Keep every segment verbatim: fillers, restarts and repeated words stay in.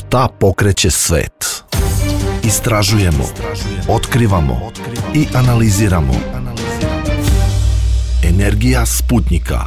Šta pokreće svet? Istražujemo, otkrivamo i analiziramo. Energija Sputnjika.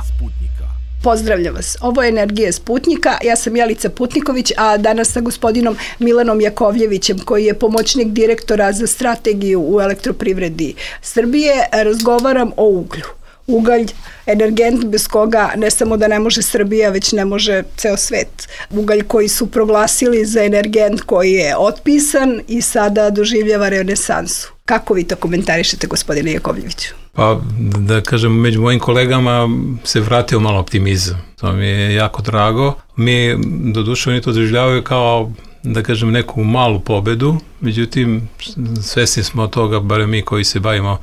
Pozdravljam vas. Ovo je Energija Sputnjika. Ja sam Jelica Putniković, a danas sa gospodinom Milanom Jakovljevićem, koji je pomoćnik direktora za strategiju u Elektroprivredi Srbije, razgovaram o uglju. Ugalj, energent bez koga ne samo da ne može Srbija, već ne može ceo svet. Ugalj koji su proglasili za energent koji je otpisan i sada doživljava renesansu. Kako vi to komentarišete, gospodine Jakovljeviću? Pa, da kažem, među mojim kolegama se vratio malo optimizam. To mi je jako drago. Mi, doduše, oni to doživljavaju kao, da kažem, neku malu pobedu, međutim, svesni smo od toga, barem mi koji se bavimo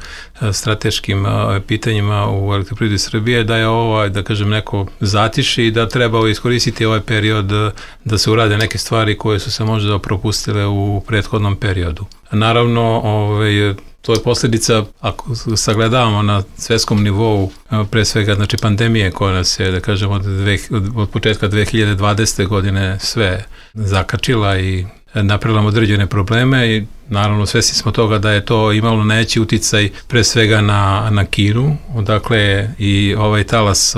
strateškim pitanjima u Elektroprivredi Srbije, da je ovo, da kažem, neko zatiši i da treba iskoristiti ovaj period da se urade neke stvari koje su se možda propustile u prethodnom periodu. Naravno, ovaj, to je posljedica, ako sagledavamo na svetskom nivou, pre svega, znači, pandemije koja nas je, da kažemo, od, dve, od početka dve hiljade dvadesete. godine sve zakačila i napravila određene probleme i naravno svesni smo toga da je to imalo najveći uticaj pre svega na, na Kinu, odakle i ovaj talas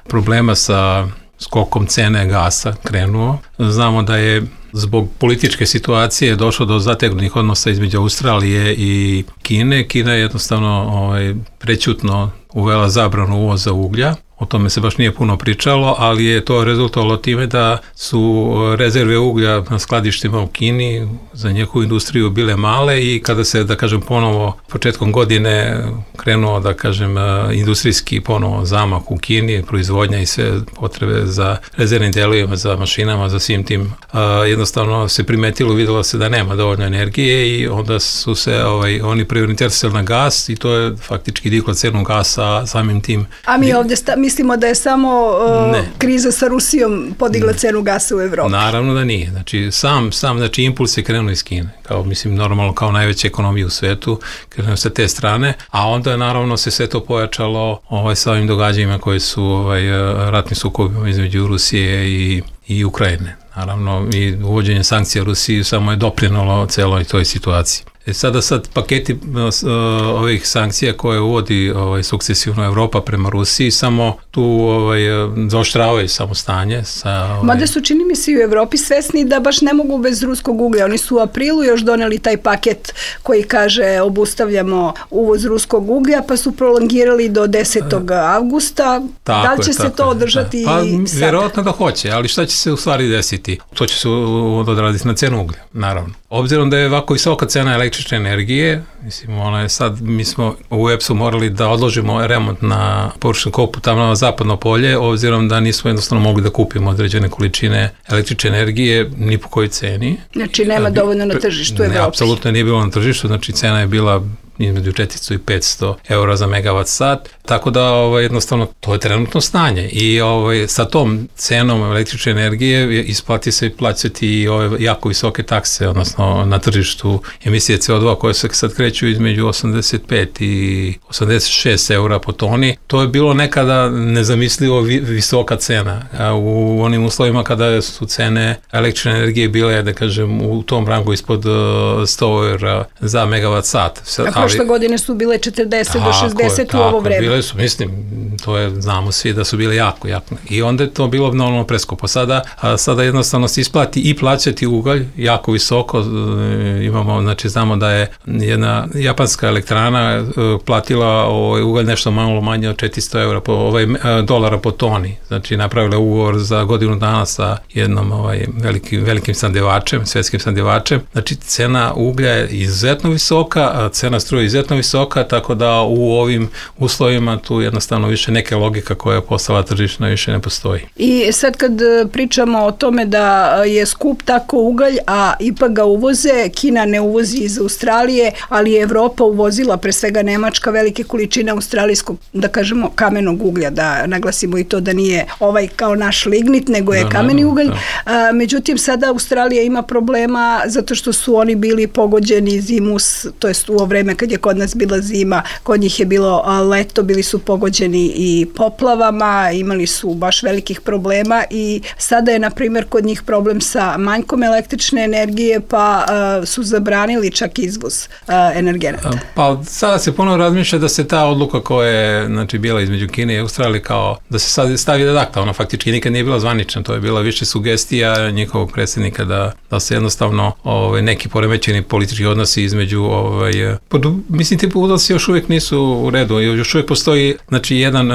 problema sa skokom cene gasa krenuo. Znamo da je zbog političke situacije došlo do zategnutih odnosa između Australije i Kine. Kina je jednostavno ovaj, prećutno uvela zabranu uvoza uglja. O tome se baš nije puno pričalo, ali je to rezultovalo time da su rezerve uglja na skladištima u Kini za njihovu industriju bile male i kada se, da kažem, ponovo početkom godine krenuo, da kažem, industrijski ponovo zamah u Kini, proizvodnja i sve potrebe za rezervnim delovima, za mašinama, za svim tim, jednostavno se primetilo, videlo se da nema dovoljno energije i onda su se ovaj, oni prioritisali na gas i to je faktički diglo cenu gasa samim tim. A mi ovdje sta, mislimo da je samo uh, kriza sa Rusijom podigla ne. cenu gasa u Evropi. Naravno da nije. Znači, sam, sam znači, impuls je krenuo iz Kine. Kao, mislim, normalno kao najveća ekonomija u svetu, krenuo sa te strane, a onda naravno se sve to pojačalo ovaj, sa ovim događajima koji su ovaj, ratni sukobi između Rusije i, i Ukrajine. Naravno, i uvođenje sankcija Rusiji samo je doprinalo celoj toj situaciji. E sada sad paketi uh, ovih sankcija koje uvodi ovaj, sukcesivno Evropa prema Rusiji samo tu ovaj, zaoštravaju samo stanje. Sa, ovaj... Mada su, čini mi se, i u Evropi svesni da baš ne mogu bez ruskog uglja. Oni su u aprilu još doneli taj paket koji kaže obustavljamo uvoz ruskog uglja, pa su prolongirali do desetog avgusta. Tako da li će je, se to održati da. Pa, i sada? Vjerojatno da hoće, ali šta će se u stvari desiti? To će se odraditi na cenu uglja, naravno. Obzirom da je ovako visoka cena električne energije, mislim, ona je sad, mi smo u E P S-u morali da odložimo remont na površinu kopu tamo na zapadno polje, obzirom da nismo jednostavno mogli da kupimo određene količine električne energije ni po kojoj ceni. Znači nema dovoljno na tržištu u Evropi. Ne, apsolutno nije bilo na tržištu, znači cena je bila između četiristo i petsto eura za megavat sat, tako da ovaj, jednostavno to je trenutno stanje i ovaj, sa tom cenom električne energije isplati se plaćati i ove jako visoke takse, odnosno na tržištu emisije C O dva koje se sad kreću između osamdeset pet i osamdeset šest eura po toni. To je bilo nekada nezamislivo vi, visoka cena. A u onim uslovima kada su cene električne energije bile, da kažem, u tom rangu ispod sto eura za megavat sat. A prošle godine su bile četrdeset do šezdeset u ovo vreme. Bile su, mislim, to je, znamo svi da su bile jako, jako. I onda je to bilo normalno preskupo. Sada, a sada jednostavno se isplati i plaćati ugalj jako visoko. Imamo, znači, znamo da je jedna japanska elektrana platila ovaj ugalj nešto malo manje od četiristo eura po, ovaj, dolara po toni. Znači, napravila ugovor za godinu dana sa jednom ovaj, velikim, velikim sandevačem, svetskim sandevačem. Znači, cena uglja je izuzetno visoka, a cena struje je izuzetno visoka, tako da u ovim uslovima tu jednostavno više neke logika koja je postala tržišna više ne postoji. I sad kad pričamo o tome da je skup tako ugalj, a ipak ga uvoze, Kina ne uvozi iz Australije, ali je Evropa uvozila, pre svega Nemačka, velike količine australijskog, da kažemo, kamenog uglja, da naglasimo i to da nije ovaj kao naš lignit, nego je da, kameni ne, ugalj. Da. A, međutim, sada Australija ima problema zato što su oni bili pogođeni zimus, to jest u ovo vreme kad je kod nas bila zima, kod njih je bilo leto, bili su pogođeni i poplavama, imali su baš velikih problema i sada je, na primjer, kod njih problem sa manjkom električne energije, pa uh, su zabranili čak izvoz uh, energenata. Pa sada se ponovo razmišlja da se ta odluka koja je, znači, bila između Kine i Australije, kao da se sad stavi ad acta, ona faktički nikad nije bila zvanična, to je bila više sugestija njihovog predsjednika da, da se jednostavno ovaj, neki poremećeni politički odnosi između, ovaj, pod, mislim, ti udalci još uvijek nisu u redu, još uvijek postoji, znači, jedan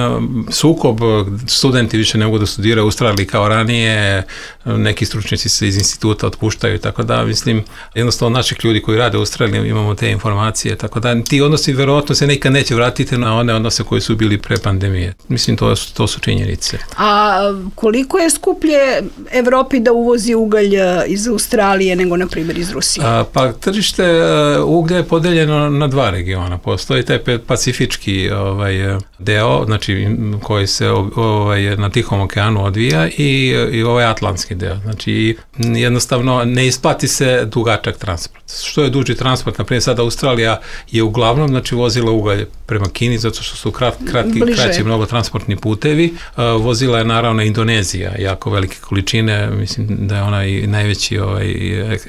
sukob, studenti više ne mogu da studiraju u Australiji kao ranije, neki stručnjaci se iz instituta otpuštaju i tako da, mislim, jednostavno naših ljudi koji rade u Australiji imamo te informacije, tako da ti odnosi verovatno se nekad neće vratiti na one odnose koji su bili pre pandemije. Mislim, to, to su činjenice. A koliko je skuplje Evropi da uvozi ugalj iz Australije nego, na primjer, iz Rusije? A, pa tržište uglja je podeljeno na dva regiona. Postoji taj pacifički ovaj, deo, znači koji se ovaj, na Tihom okeanu odvija i, i ovaj atlantski deo. Znači jednostavno ne isplati se dugačak transport. Što je duži transport, na primjer sada Australija je uglavnom, znači, vozila ugalj prema Kini zato što su krat, kratki, kraći mnogo transportni putevi. Vozila je naravno Indonezija, jako velike količine, mislim da je ona i najveći ovaj,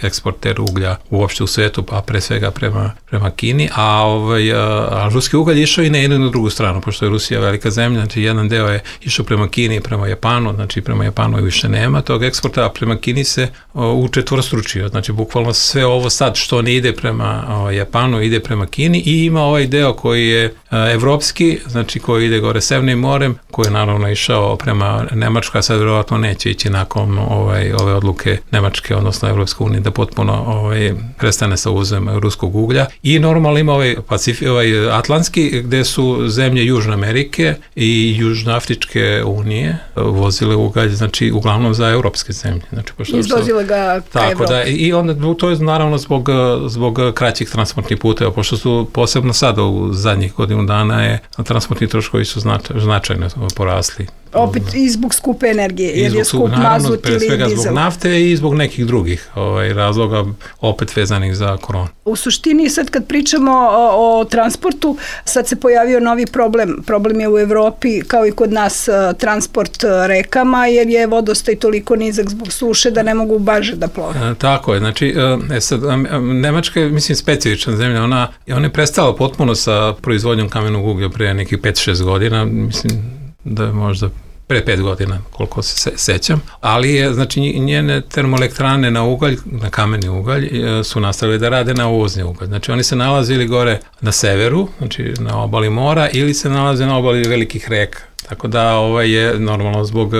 eksporter uglja uopšte u svetu, a pre svega prema, prema Kini, a, ovaj, a ruski ugalj išao i na jednu i na drugu stranu, pošto je Rusija velika zemlja, znači jedan deo je išao prema Kini i prema Japanu, znači prema Japanu više nema tog eksporta, a prema Kini se učetvorostručio, znači bukvalno sve ovo sad što ne ide prema o, Japanu ide prema Kini i ima ovaj deo koji je a, evropski, znači koji ide gore Severnim morem, koji je naravno išao prema Nemačkoj, a sad vjerovatno neće ići nakon ovaj, ove odluke Nemačke, odnosno Evropske unije, da potpuno ovaj, prestane sa uvozom ruskog uglja. I normalno ima ovaj, Pacifi, ovaj atlantski, gde su zemlje Južne Amerike i Južnoafričke unije vozile ugalj, znači uglavnom za evropske zemlje. Znači, izvozile ga ka tako Evropi. Da, i onda to je naravno zbog, zbog kraćih transportnih puteva, pošto su posebno sada u zadnjih godinu dana je transportni troškovi su značaj, značajno porasli. Opet i zbog skupe energije, jer je skup mazut ili dizel. Pre svega zbog nafte i zbog nekih drugih ovaj, razloga opet vezanih za koronu. U suštini sad kad pričamo o, o transportu, sad se pojavio novi problem. Problem je u Evropi, kao i kod nas, transport rekama, jer je vodostaj toliko nizak zbog suše da ne mogu baže da plove. E, tako je, znači, e, sad, Nemačka je, mislim, specifična zemlja, ona, ona je prestala potpuno sa proizvodnjom kamenog uglja pre nekih pet šest godina, mislim, da je možda pre pet godina, koliko se sećam, ali je, znači, njene termoelektrane na ugalj, na kameni ugalj, su nastavili da rade na uvozni ugalj. Znači, oni se nalazili gore na severu, znači na obali mora, ili se nalaze na obali velikih reka. Tako da ovaj je normalno zbog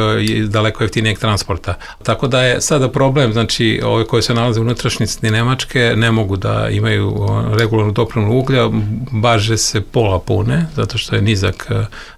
daleko jeftinijeg transporta. Tako da je sada problem, znači ove koji se nalaze u unutrašnjosti Nemačke ne mogu da imaju regularnu dopremu uglja, baže se pola pune, zato što je nizak,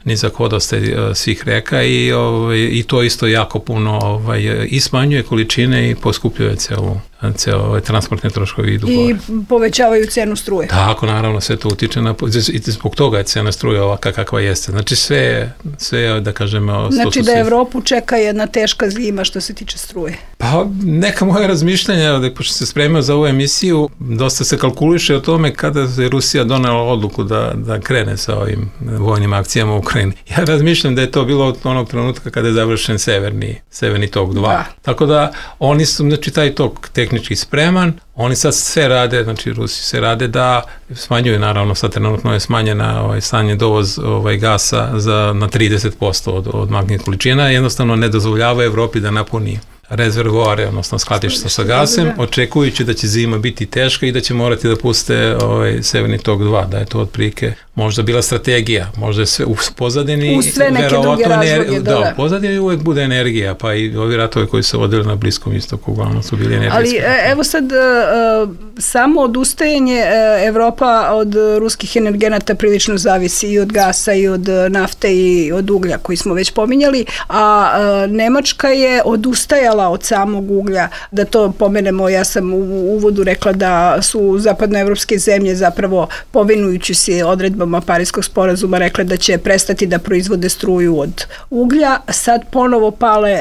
nizak vodostaj svih reka i, ovaj, i to isto jako puno ovaj, i smanjuje količine i poskupljuje celu ceo ovaj, transportne troškovi idu gore. I povećavaju cenu struje. Tako, naravno, sve to utiče na, i zbog toga je cena struje ovaka kakva jeste. Znači sve, sve da kažemo... Znači da Evropu čeka jedna teška zima što se tiče struje. Pa neka moja razmišljanja, da pošto se spremio za ovu emisiju, dosta se kalkuliše o tome kada je Rusija donela odluku da, da krene sa ovim vojnim akcijama u Ukrajini. Ja razmišljam da je to bilo od onog trenutka kada je završen Severni, Severni tok dva. Da. Tako da oni su, znači taj tok tehnički spreman, oni sad sve rade, znači Rusi se rade da smanjuju, naravno sad trenutno je smanjena ovaj, stanje dovoz ovaj, gasa za, na trideset posto od, od magnetnih količina, jednostavno ne dozvoljava Evropi da napuni rezervoare, odnosno skladišta sa gasem, očekujući da će zima biti teška i da će morati da puste ovaj, Severni tok dva, da je to otprilike možda bila strategija, možda je sve u pozadini, u sve neke druge razloge, da, da, u pozadini uvek bude energija, pa i ovi ratovi koji se vodili na Bliskom istoku uglavnom su bili energetski. Ali evo sad, samo odustajanje Evropa od ruskih energenata prilično zavisi i od gasa i od nafte i od uglja koji smo već pominjali, a Nemačka je odustajala od samog uglja, da to pomenemo, ja sam u uvodu rekla da su zapadnoevropske zemlje zapravo povinujući se odredbama odredbama Pariskog sporazuma rekle da će prestati da proizvode struju od uglja. Sad ponovo pale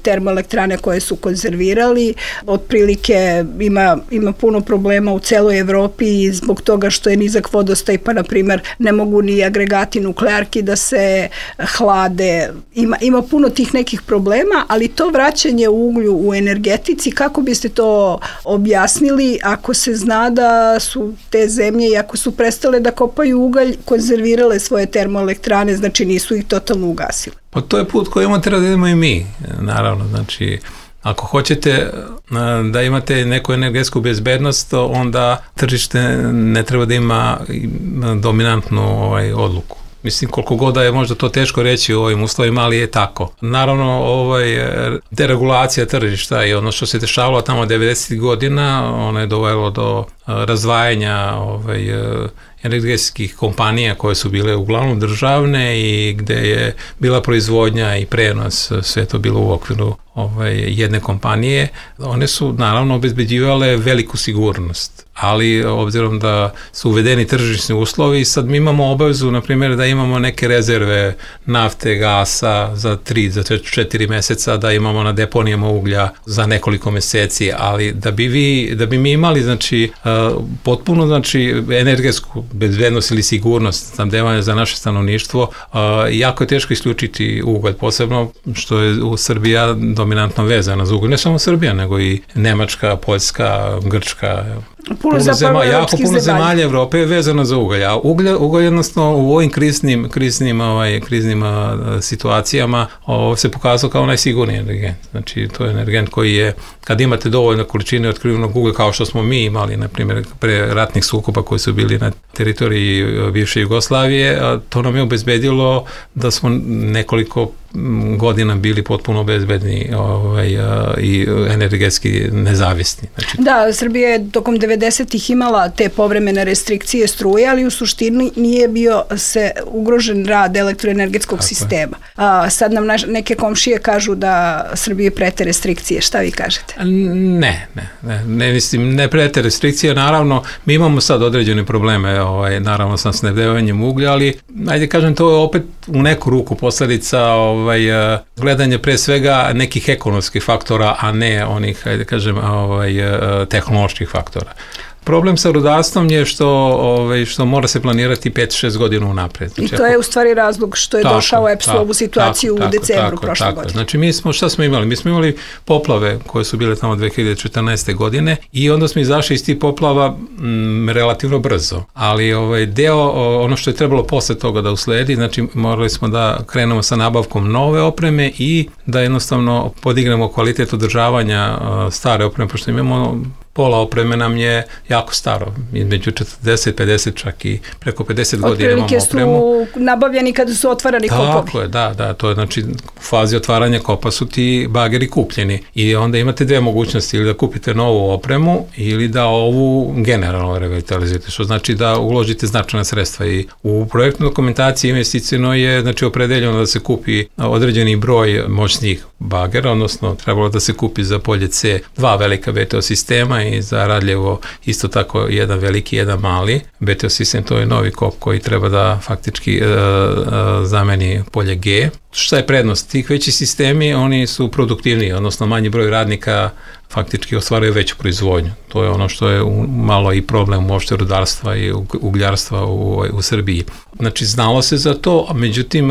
termoelektrane koje su konzervirali. Otprilike ima, ima puno problema u celoj Evropi i zbog toga što je nizak vodostaj, pa na primjer ne mogu ni agregati nuklearki da se hlade. Ima, ima puno tih nekih problema, ali to vraćanje uglju u energetici, kako biste to objasnili ako se zna da su te zemlje, i ako su prestale da kopaju ugalj, konzervirale svoje termoelektrane, znači nisu ih totalno ugasile? Pa to je put koji imamo treba da idemo i mi, naravno, znači ako hoćete da imate neku energetsku bezbednost, onda tržište ne treba da ima dominantnu ovaj, odluku. Mislim, koliko god da je možda to teško reći u ovim uslovima, ali je tako. Naravno, ovaj, deregulacija tržišta i ono što se dešavalo tamo devedesetih godina, ono je dovelo do razdvajanja ovaj, energetskih kompanija koje su bile uglavnom državne i gde je bila proizvodnja i prenos, sve to bilo u okviru ovaj, jedne kompanije. One su naravno obezbeđivale veliku sigurnost, ali obzirom da su uvedeni tržišni uslovi, sad mi imamo obavezu, na primjer, da imamo neke rezerve nafte, gasa za tri, za četiri meseca, da imamo na deponijama uglja za nekoliko meseci, ali da bi vi, da bi mi imali, znači, potpuno, znači, energetsku bezbednost ili sigurnost snabdevanja za naše stanovništvo, jako je teško isključiti ugalj, posebno što je u Srbija dominantno vezana za ugalj, ne samo Srbija, nego i Nemačka, Poljska, Grčka, Puno, puno zema, jako puno zemalja Evrope je vezano za ugalj, a ugalj, ugalj jednostavno u ovim kriznim, kriznim, ovaj, kriznim a, situacijama ovo se pokazao kao najsigurniji energent. Znači, to je energent koji je, kad imate dovoljno količine otkrivenog uglja, kao što smo mi imali, na primjer, pre ratnih sukoba koji su bili na teritoriji bivše Jugoslavije, a, to nam je obezbedilo da smo nekoliko godina bili potpuno bezbedni ovaj, a, i energetski nezavisni. Znači, da, Srbija je tokom devedesetih imala te povremene restrikcije struje, ali u suštini nije bio se ugrožen rad elektroenergetskog Tako sistema. A, sad nam naš, neke komšije kažu da Srbije prete restrikcije. Šta vi kažete? Ne, ne, ne, ne mislim, ne prete restrikcije. Naravno, mi imamo sad određene probleme, ovaj, naravno sa snabdevanjem uglja, ali ajde kažem, to je opet u neku ruku posledica ovaj, gledanje pre svega nekih ekonomskih faktora, a ne onih, ajde kažem, ovaj, tehnoloških faktora. Problem sa rudarstvom je što, ovaj, što mora se planirati pet šest godina unapred. Znači, I to je u stvari razlog što je tako, došao E P S u ovu situaciju tako, u decembru tako, prošle tako. godine. Znači mi smo, šta smo imali? Mi smo imali poplave koje su bile tamo dve hiljade četrnaeste. godine i onda smo izašli iz tih poplava m, relativno brzo. Ali ovaj, deo, ono što je trebalo posle toga da usledi, znači morali smo da krenemo sa nabavkom nove opreme i da jednostavno podignemo kvalitet održavanja stare opreme, pošto imamo pola opreme nam je jako staro, između četrdeset pedeset čak i preko pedeset godina imamo opremu. Otprilike su nabavljeni kada su otvarani kopovi. Tako je, da, da, to je znači u fazi otvaranja kopa su ti bageri kupljeni i onda imate dve mogućnosti, ili da kupite novu opremu ili da ovu generalno revitalizujete, što znači da uložite značajna sredstva i u projektnoj dokumentaciji investicijno je znači opredeljeno da se kupi određeni broj moćnih bagera, odnosno trebalo da se kupi za polje C dva velika B T O sistema i za Radljevo isto tako jedan veliki, jedan mali. B T O sistem to je novi kop koji treba da faktički e, e, zameni polje G. Šta je prednost? Tih veći sistemi, oni su produktivniji, odnosno manji broj radnika faktički ostvaraju veću proizvodnju. To je ono što je malo i problem uopšte rudarstva i ugljarstva u, u Srbiji. Znači, znalo se za to, međutim,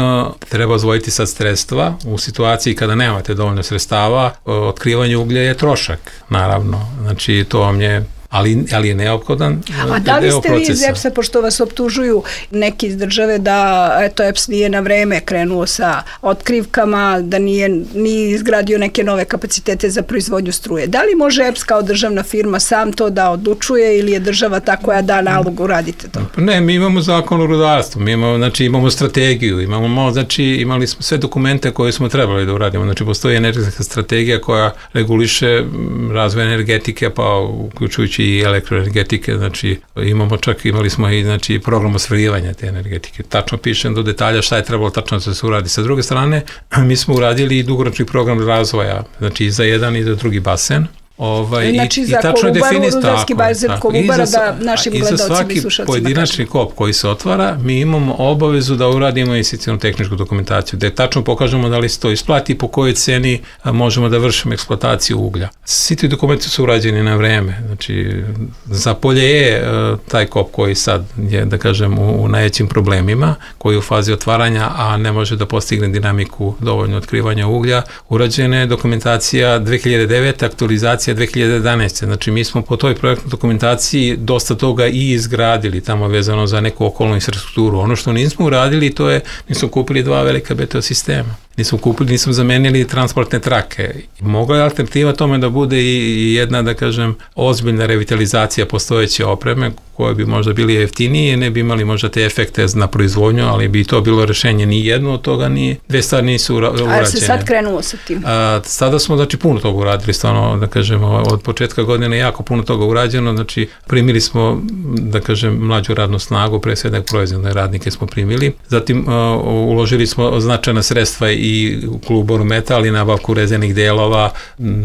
treba odvojiti sad sredstva u situaciji kada nemate dovoljno sredstava, otkrivanje uglja je trošak, naravno. Znači, to vam je Ali, ali je neophodan deo procesa. A da li ste vi iz E P S-a, pošto vas optužuju neki iz države da eto, E P S nije na vreme krenuo sa otkrivkama, da nije, nije izgradio neke nove kapacitete za proizvodnju struje. Da li može E P S kao državna firma sam to da odlučuje ili je država ta koja da nalog uradite to? Ne, mi imamo zakon o rudarstvu, mi imamo, znači, imamo strategiju, imamo, znači, imali smo sve dokumente koje smo trebali da uradimo. Znači, postoji energetska strategija koja reguliše razvoj energetike, pa uključujući i elektroenergetike, znači imamo čak, imali smo i znači, program osvajanja te energetike. Tačno pišem do detalja šta je trebalo tačno da se uradi. Sa druge strane, mi smo uradili i dugoročni program razvoja, znači i za jedan i za drugi basen. Ovaj, znači i, za i tačno Kolubaru, Rudarski bazen Kolubara, da našim gledalcima i slušalcima. I za svaki pojedinačni kop koji se otvara, mi imamo obavezu da uradimo investicionu tehničku dokumentaciju, da tačno pokažemo da li se to isplati i po kojoj ceni možemo da vršimo eksploataciju uglja. Svi ti dokumenti su urađeni na vreme. Znači, za polje je taj kop koji sad je, da kažem, u, u najvećim problemima, koji je u fazi otvaranja, a ne može da postigne dinamiku dovoljno otkrivanja uglja. Urađena je dokumentacija dve hiljade devete. aktualizacija dve hiljade jedanaeste. Znači, mi smo po toj projektnoj dokumentaciji dosta toga i izgradili tamo vezano za neku okolnu infrastrukturu. Ono što nismo uradili, to je, nismo kupili dva velika B T O sistema. Nismo kupili, nismo zamenili transportne trake. Mogla je alternativa tome da bude i jedna, da kažem, ozbiljna revitalizacija postojeće opreme, koje bi možda bili jeftinije, ne bi imali možda te efekte na proizvodnju, ali bi to bilo rešenje. Ni jedno od toga, ni dve stvari nisu urađene. A se sad krenulo sa tim? A, sada smo, znači, puno toga uradili, stvarno, da kažem, od početka godine jako puno toga urađeno, znači, primili smo, da kažem, mlađu radnu snagu, pre svega proizvodne radnike smo primili, zatim a, uložili smo značajna sredstva i u Kolubaru Metal i nabavku rezenih delova,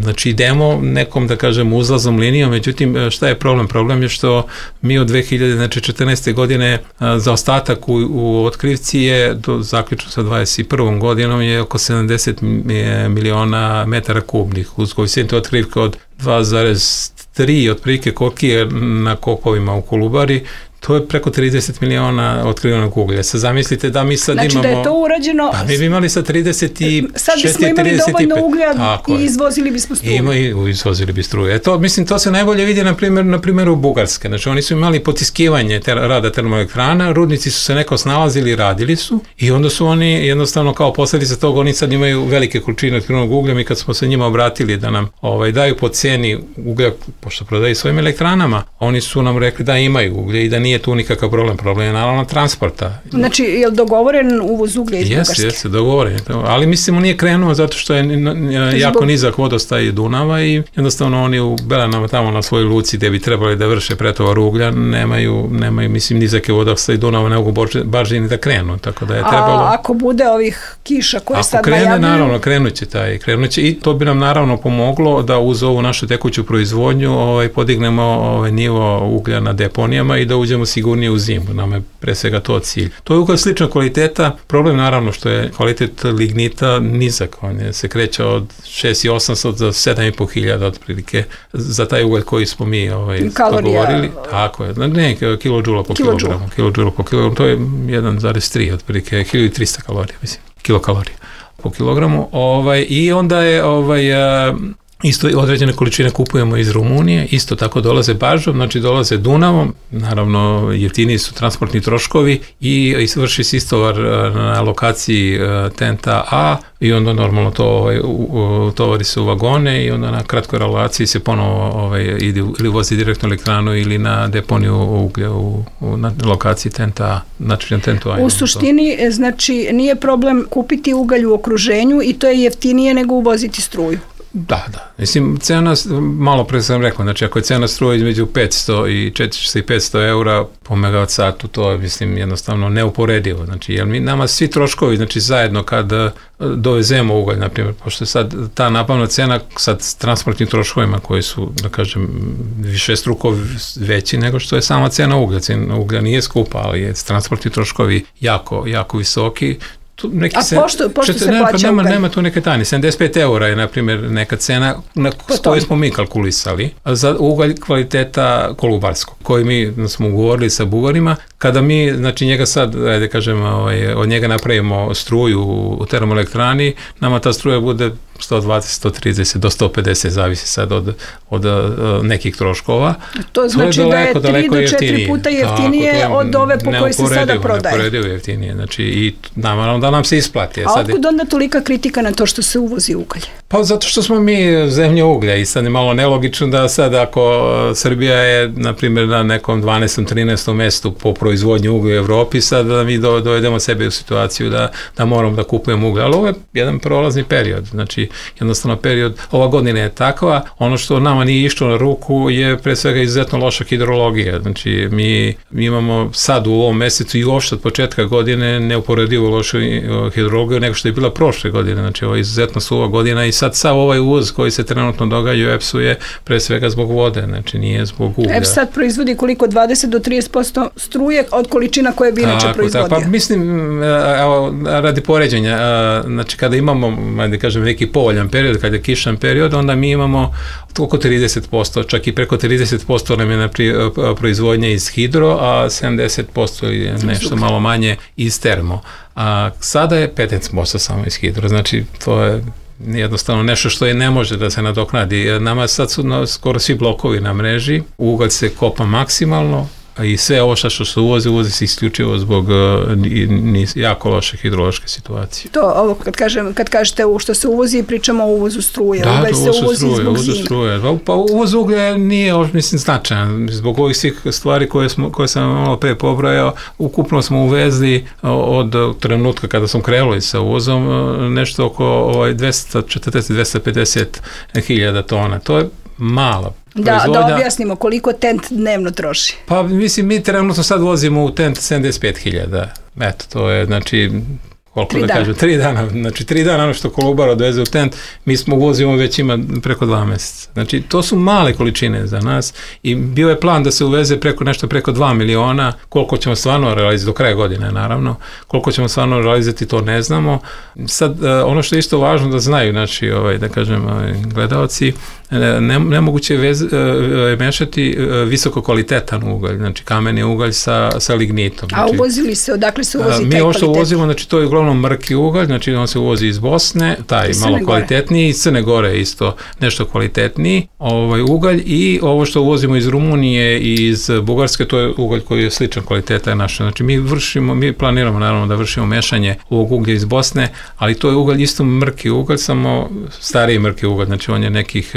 znači, idemo nekom, da kažem, uzlaznom linijom, međutim, šta je problem? Problem je što mi od dve hiljade četrnaeste. godine za ostatak u, u otkrivci je, do, zaključno sa dvadeset prvom godinom, je oko sedamdeset miliona metara kubnih, uz koeficijent otkrivka od dva zarez tri, otprilike koliki je na kopovima u Kolubari, to je preko trideset miliona otkrivenog uglja. Sad zamislite da mi sad znači imamo... Znači da je to urađeno... Pa mi bi imali sa trideset šest, sad bismo imali dovoljno uglja i izvozili bismo struju. Ima i izvozili bi struju. E to, mislim, to se najbolje vidi na primjer, na primjeru Bugarske. Znači oni su imali potiskivanje ter, rada termoelektrana, rudnici su se neko snalazili, radili su i onda su oni jednostavno kao posljedica toga, oni sad imaju velike količine otkrivenog uglja. Mi kad smo se njima obratili da nam ovaj, daju po ceni uglja, pošto prodaju svojim elektranama, oni su nam rekli da imaju uglje i da nije tu nikakav problem, problem je naravno transporta. Znači, je li dogovoren uvoz uglja iz Bugarske? Jeste, jeste, dogovoren. Ali mislim, on nije krenuo zato što je jako nizak vodostaj Dunava i jednostavno oni u Belanama tamo na svojoj luci gde bi trebali da vrše pretovar uglja, nemaju, nemaju mislim, nizake vodostaj Dunava, ne mogu baržini da krenu, tako da je trebalo... A ako bude ovih kiša koje sad najavljaju? Ako krene, naravno, krenuće taj, krenuće i to bi nam naravno pomoglo da uz ovu našu tekuću proizvodnju ovaj, podignemo ovaj, nivo uglja na deponijama i da uđemo sigurnije u zimu. Nam je pre svega to cilj. To je uglja slična kvaliteta, problem naravno što je kvalitet lignita nizak, on je, se kreće od šest hiljada osamsto do sedam i po hiljada otprilike za taj ugalj koji smo mi ovaj, dogovorili. Tako je, ne, kilodžula po kilogramu, kilodžula po kilogramu, to je jedan zarez tri otprilike, hiljadu trista kalorija, mislim, kilokalorija po kilogramu, ovaj, i onda je ovaj, isto određene količine kupujemo iz Rumunije, isto tako dolaze baržom, znači dolaze Dunavom, naravno jeftiniji su transportni troškovi i vrši se istovar na lokaciji Tenta A i onda normalno to ovaj, tovari se u vagone i onda na kratkoj relaciji se ponovo ovaj, ide ili vozi direktno elektranu ili na deponiju uglja u, u, na lokaciji Tenta A, znači na Tentu A. U suštini, to. Znači, nije problem kupiti ugalj u okruženju i to je jeftinije nego uvoziti struju. Da, da. Mislim, cena, malo pre sam rekao, znači ako je cena struje između petsto i četiristo i petsto eura po megavat satu, to je, mislim, jednostavno neuporedivo. Znači, jer mi, nama svi troškovi, znači zajedno kad dovezemo ugalj, na primjer, pošto je sad ta nabavna cena sad s transportnim troškovima koji su, da kažem, više struko veći nego što je sama cena uglja. Cena uglja nije skupa, ali je transportni troškovi jako, jako visoki. Neki A se, pošto, pošto se nema, plaća nema, ugalj? Nema tu neke tajne. sedamdeset pet eura je, na primjer, neka cena na koju smo mi kalkulisali za ugalj kvaliteta kolubarskog, koji mi smo ugovorili sa Bugarima. Kada mi, znači njega sad, ajde kažem, ovaj, od njega napravimo struju u termoelektrani, nama ta struja bude sto dvadeset, sto trideset do sto pedeset, zavisi sad od, od uh, nekih troškova. To znači to je daleko, da je tri do četiri puta jeftinije tako, od ove po kojoj se sada prodaje. Neuporedivo jeftinije, znači i naravno da nam se isplati. A sad otkud onda tolika kritika na to što se uvozi ugalj? Pa zato što smo mi zemlja uglja i sad je malo nelogično da sad ako Srbija je, na primjer, na nekom dvanaestom trinaestom mestu po proizvodnju uglja u Evropi, sad da mi do, dovedemo sebe u situaciju da, da moramo da kupujemo uglja. Ali ovo je jedan prolazni period. Znači, jednostavno period, ova godina je takva, ono što nama nije išlo na ruku je pre svega izuzetno loša hidrologija. Znači, mi, mi imamo sad u ovom mesecu i uopšte od početka godine neuporedivo lošu hidrologiju nego što je bila prošle godine. Znači, ovo je izuzetno suva godina i sad sav ovaj uvoz koji se trenutno događa u E P S-u je pre svega zbog vode, znači nije zbog uglja. E P S sad proizvodi koliko? dvadeset do trideset posto struje od količina koje bi inače proizvodio. Pa mislim, evo, radi poređenja, znači kada imamo, da kažem, neki povoljan period, kada je kišan period, onda mi imamo oko trideset posto, čak i preko trideset posto nam je na proizvodnja iz hidro, a sedamdeset posto je nešto malo manje iz termo. A sada je petnaest posto samo iz hidro, znači to je jednostavno nešto što je ne može da se nadoknadi. Nama sad su skoro svi blokovi na mreži, ugalj se kopa maksimalno i sve ovo što se uvozi, uvozi se isključivo zbog uh, jako loše hidrološke situacije. To, ovo kad, kažem, kad kažete u što se uvozi, pričamo o uvozu struje. Da, ugalj se uvozi struje, zbog uvozu zime. Struje. Pa, pa uvoz uglja nije, mislim, značajan. Zbog ovih svih stvari koje, smo, koje sam malo pre pobrojao, ukupno smo uvezli od trenutka kada sam krenuli sa uvozom nešto oko ovaj, dvesta četrdeset do dvesta pedeset hiljada tona. To je mala Da, da objasnimo koliko tent dnevno troši. Pa mislim, mi trenutno sad vozimo u tent sedamdeset pet hiljada. Eto, to je, znači, koliko tri da dana. kažem, tri dana. Znači, tri dana ono što Kolubara odveze u tent, mi smo uvozimo već ima preko dva meseca. Znači, to su male količine za nas i bio je plan da se uveze preko nešto preko dva miliona, koliko ćemo stvarno realizati do kraja godine, naravno. Koliko ćemo stvarno realizati, to ne znamo. Sad, ono što je isto važno da znaju, znači, ovaj, da kažem, ovaj, gledalci, Ne, nemoguće je vez, e, mešati visoko kvalitetan ugalj, znači kameni ugalj sa, sa lignitom. Znači, a uvozili se, odakle se uvozi a, taj mi ovo što kvalitet? uvozimo, znači to je uglavnom mrki ugalj, znači on se uvozi iz Bosne, taj malo kvalitetniji, iz Crne Gore isto nešto kvalitetniji ovaj, ugalj i ovo što uvozimo iz Rumunije i iz Bugarske, to je ugalj koji je sličan kvaliteta naša. Znači mi vršimo, mi planiramo naravno da vršimo mešanje ovog uglja iz Bosne, ali to je ugalj isto mrki ugalj, samo stariji mrki ugalj, znači on je nekih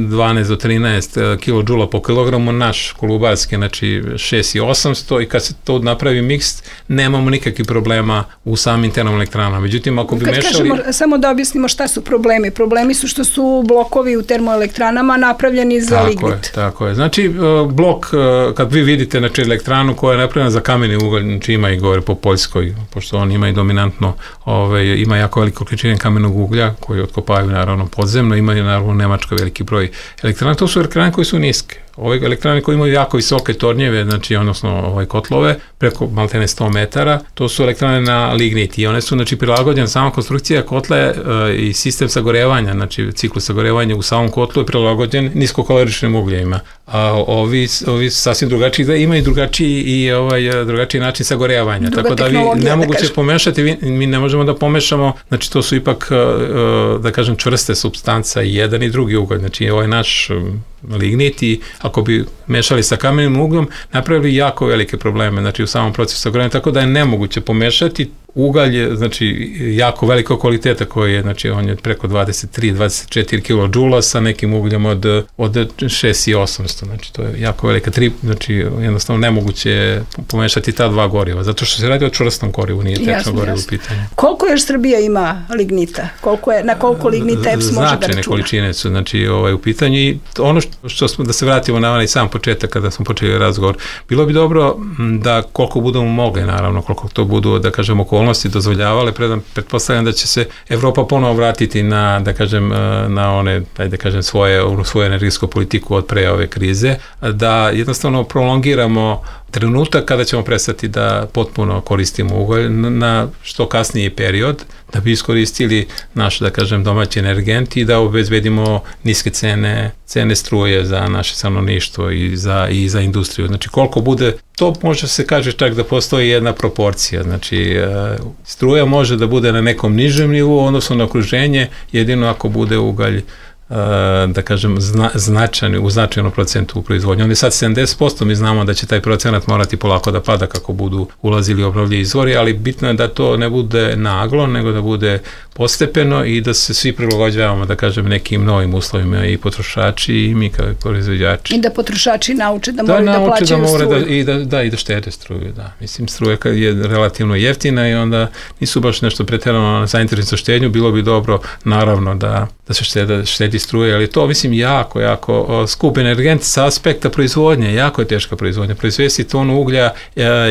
dvanaest do trinaest kilodžula po kilogramu, naš kolubarski, znači šest i osamsto i kad se to napravi miks, nemamo nikakvih problema u samim termoelektranama. Međutim, ako bi kad mešali... Kažemo, samo da objasnimo šta su problemi. Problemi su što su blokovi u termoelektranama napravljeni za tako lignit. Je, tako je. Znači, blok, kad vi vidite znači, elektranu koja je napravljena za kameni ugalj, znači ima i gore po Poljskoj, pošto on ima i dominantno, ove, ima jako veliko količine kamenog uglja koji otkopavaju naravno podzemno, ima i naravno Nemačka veliki broj elektrana, to su elektrane koje su niske. Ove elektrane koje imaju jako visoke tornjeve, znači odnosno ovaj kotlove, preko maltene sto metara, to su elektrane na lignit i one su znači prilagođene, sama konstrukcija kotle e, i sistem sagorevanja, znači ciklus sagorevanja u samom kotlu je prilagođen niskokaloričnim ugljevima. A ovi, ovi sasvim drugačiji, da imaju drugačiji i ovaj drugačiji način sagorevanja. Druga tako da vi nemoguće da pomešati, vi, mi ne možemo da pomešamo, znači to su ipak da kažem čvrste supstanca i jedan i drugi ugalj, znači ovaj naš lignit i ako bi mešali sa kamenim uglom, napravili jako velike probleme, znači u samom procesu sagorevanja, tako da je nemoguće pomešati. Ugalj je, znači, jako veliko kvaliteta koji je, znači, on je preko dvadeset tri do dvadeset četiri kilodžula sa nekim ugljem od, od šest i osamsto, znači, to je jako velika tri, znači, jednostavno nemoguće je pomešati ta dva goriva, zato što se radi o čvrstom gorivu, nije tečno gorivo u pitanju. Koliko još Srbija ima lignita? Koliko je, na koliko lignita E P S može da računa? Značajne količine su, znači, ovaj, u pitanju i ono što, što smo, da se vratimo na onaj sam početak kada smo počeli razgovor, bilo bi dobro da koliko budemo mogli, naravno, koliko to budu, da kažemo, okolnosti dozvoljavale, predam, pretpostavljam da će se Evropa ponovo vratiti na, da kažem, na one, da kažem, svoje, svoju energetsku politiku od pre ove krize, da jednostavno prolongiramo trenutak kada ćemo prestati da potpuno koristimo ugalj na što kasniji period, da bi iskoristili naš, da kažem, domaći energent i da obezbedimo niske cene, cene struje za naše stanovništvo i za, i za industriju. Znači, koliko bude, to može se kaže čak da postoji jedna proporcija. Znači, struja može da bude na nekom nižem nivou, odnosno na okruženje, jedino ako bude ugalj da kažem, zna, značajni, u značajnom procentu u proizvodnju. On je sad sedamdeset posto, mi znamo da će taj procenat morati polako da pada kako budu ulazili obnovljivi izvori, ali bitno je da to ne bude naglo, nego da bude postepeno i da se svi prilagođavamo, da kažem, nekim novim uslovima, i potrošači i mi kao proizvođači. I da potrošači nauče da moraju da, da plaćaju da struju. Da, i da, da, i da štede struju, da. Mislim, struja je relativno jeftina i onda nisu baš nešto pretjerano zainteresovani za štednju, bilo bi dobro, naravno, da, da se štede, štedi struje, ali to, mislim, jako, jako skup energent sa aspekta proizvodnje, jako je teška proizvodnja. Proizvesti tonu uglja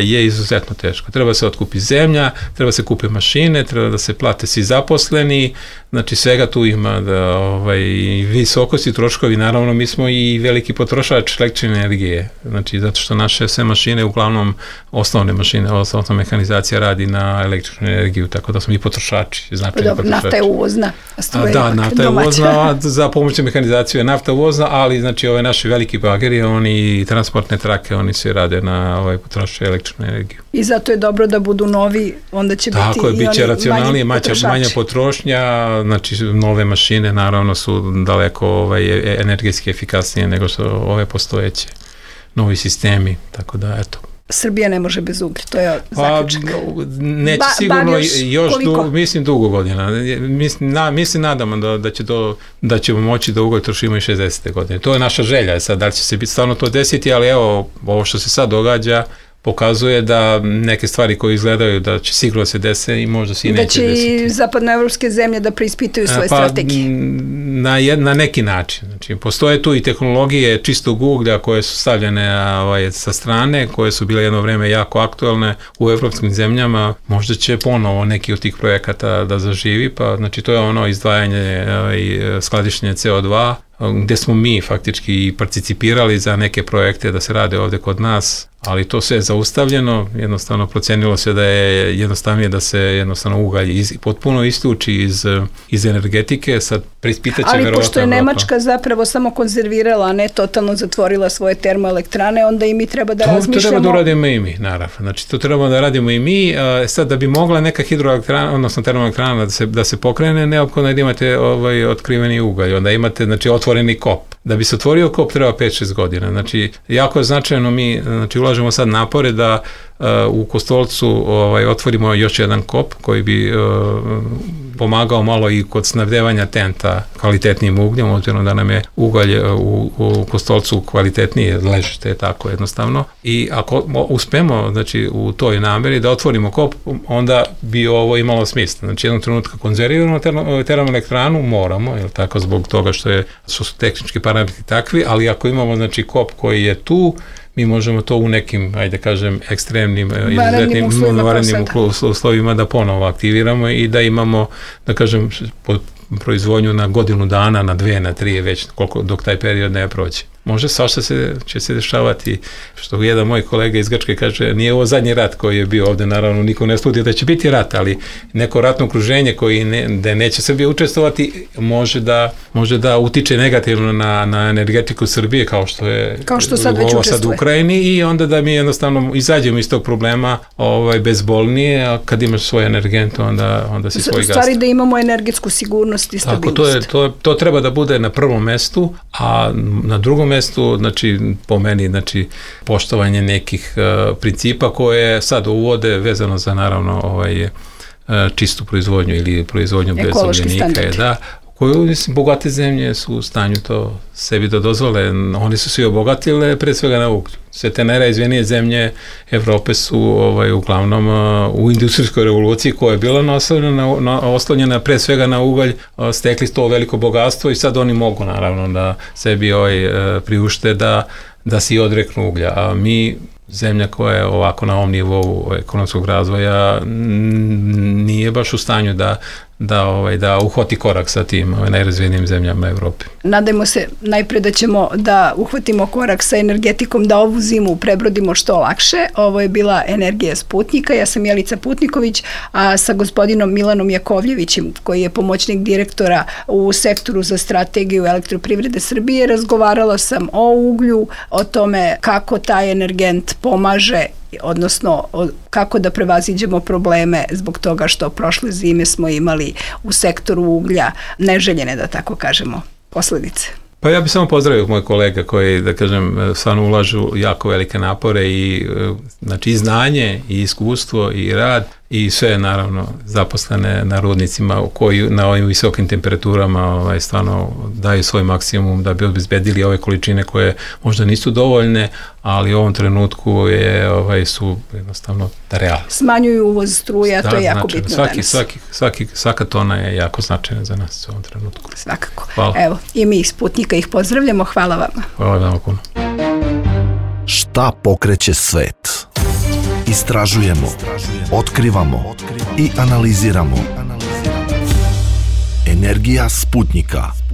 je izuzetno teško. Treba se otkupi zemlja, treba se kupe mašine, treba da se plate svi zaposleni, znači svega tu ima, da, ovaj, visokosti troškovi, naravno mi smo i veliki potrošač električne energije, znači zato što naše sve mašine, uglavnom osnovne mašine, osnovna mehanizacija radi na električnu energiju, tako da smo i potrošači, značajni potrošači. Nafta je uvozna, a struja je da, nafta je uvozna, za pomoću mehanizacije je nafta uvozna, ali znači ove naši veliki bageri, oni transportne trake, oni se rade na ovaj potrošaju električnu energiju. I zato je dobro da budu novi, onda će tako biti je, i oni racionalnije, manji potrošači. Manja potrošnja, znači nove mašine naravno su daleko ovaj, energetski efikasnije nego što ove postojeće, novi sistemi, tako da eto. Srbija ne može bez uglja, to je zaključak. Pa, neće ba, sigurno još, još du, mislim dugo godina. Mislim, na, mislim nadamo da, da, će do, da ćemo moći da ugalj trošimo i šezdesete godine. To je naša želja, sad da li će se biti stvarno to desiti, ali evo, ovo što se sad događa pokazuje da neke stvari koje izgledaju da će sigurno se dese i možda se i neće desiti. Da će i zapadnoevropske zemlje da preispitaju svoje pa, strategije. Na, jed, na neki način. Znači, postoje tu i tehnologije čistog uglja koje su stavljene ovaj, sa strane, koje su bile jedno vreme jako aktualne u evropskim zemljama. Možda će ponovo neki od tih projekata da zaživi, pa znači to je ono izdvajanje i skladištenje C O dva, gde smo mi faktički participirali za neke projekte da se rade ovde kod nas, ali to sve je zaustavljeno, jednostavno procenilo se da je jednostavnije da se jednostavno ugalj iz, potpuno isključi iz, iz energetike, sad preispitaće verovatno. Ali pošto je Nemačka zapravo samo konzervirala, a ne totalno zatvorila svoje termoelektrane, onda i mi treba da to, razmišljamo. To treba da radimo i mi, naravno. Znači to treba da radimo i mi, a, sad da bi mogla neka hidroelektrana, odnosno termoelektrana da se, da se pokrene, neophodno da imate ovaj, otkriveni ugalj, onda imate znači, otvoreni kop. Da bi se otvorio kop treba pet šest godina. Znači, jako je značajno, mi znači, ulažemo sad napore da uh, u Kostolcu ovaj, otvorimo još jedan kop koji bi uh, pomagao malo i kod snabdevanja tenta kvalitetnijim ugljem, obzirom da nam je ugalj u, u Kostolcu kvalitetnije ležište, tako jednostavno. I ako uspemo znači, u toj nameri da otvorimo kop, onda bi ovo imalo smisla. Znači, jednog trenutka konzerviramo termoelektranu, moramo, jel tako, zbog toga što, je, što su tehnički parametri takvi, ali ako imamo znači, kop koji je tu, mi možemo to u nekim, ajde kažem, ekstremnim, izuzetnim, varenim uslovima da ponovo aktiviramo i da imamo, da kažem, proizvodnju na godinu dana, na dve, na tri, već koliko, dok taj period ne prođe. Može svašta se, će se dešavati, što jedan moj kolega iz Grčke kaže, nije ovo zadnji rat koji je bio ovde, naravno niko ne sludi da će biti rat, ali neko ratno okruženje koji ne, da neće Srbija učestvovati, može da, može da utiče negativno na, na energetiku Srbije, kao što je kao što sad već ovo sad u Ukrajini, i onda da mi jednostavno izađemo iz tog problema ovaj, bezbolnije, a kad imaš svoj energent, onda, onda si svoj gast. U stvari da imamo energetsku sigurnost i stabilnost. Tako, to, je, to, to treba da bude na prvom mestu, a na drugom mestu, znači, po meni, znači, poštovanje nekih uh, principa koje sad uvode vezano za, naravno, ovaj, uh, čistu proizvodnju ili proizvodnju bez ugljenika, da, koju, mislim, bogate zemlje su u stanju to sebi da dozvole. Oni su svi obogatile, pre svega na uglju. Sve te najrazvijenije zemlje Evrope su ovaj, uglavnom uh, u industrijskoj revoluciji koja je bila naslonjena, na, oslonjena pre svega na ugalj, uh, stekli to veliko bogatstvo i sad oni mogu naravno da sebi ovaj, uh, priušte da, da se i odreknu uglja. A mi, zemlja koja je ovako na ovom nivou ekonomskog razvoja, nije baš u stanju da da ovaj da uhvati korak sa tim ovaj, najrazvijenijim zemljama Evrope. Nadajmo se najpre da ćemo da uhvatimo korak sa energetikom, da ovu zimu prebrodimo što lakše. Ovo je bila Energija Sputnika. Ja sam Jelica Putniković, a sa gospodinom Milanom Jakovljevićem, koji je pomoćnik direktora u sektoru za strategiju elektroprivrede Srbije, razgovarala sam o uglju, o tome kako taj energent pomaže, odnosno kako da prevaziđemo probleme zbog toga što prošle zime smo imali u sektoru uglja neželjene, da tako kažemo, posledice? Pa ja bih samo pozdravio moje kolega koji, da kažem, stvarno ulažu jako velike napore i, znači, i znanje, i iskustvo, i rad, i sve, naravno, zaposlene na rudnicima koji na ovim visokim temperaturama ovaj, stvarno daju svoj maksimum da bi obezbedili ove količine koje možda nisu dovoljne, ali u ovom trenutku je, ovaj, su jednostavno realne. Smanjuju uvoz struje, a to je jako značajno. bitno svaki, danas. Svaki, svaki, svaka tona je jako značajna za nas u ovom trenutku. Svakako. Hvala. Evo, i mi iz Sputnika ih pozdravljamo. Hvala vama. Hvala vam puno. Šta pokreće svet? Istražujemo, otkrivamo i analiziramo. Energija Sputnika.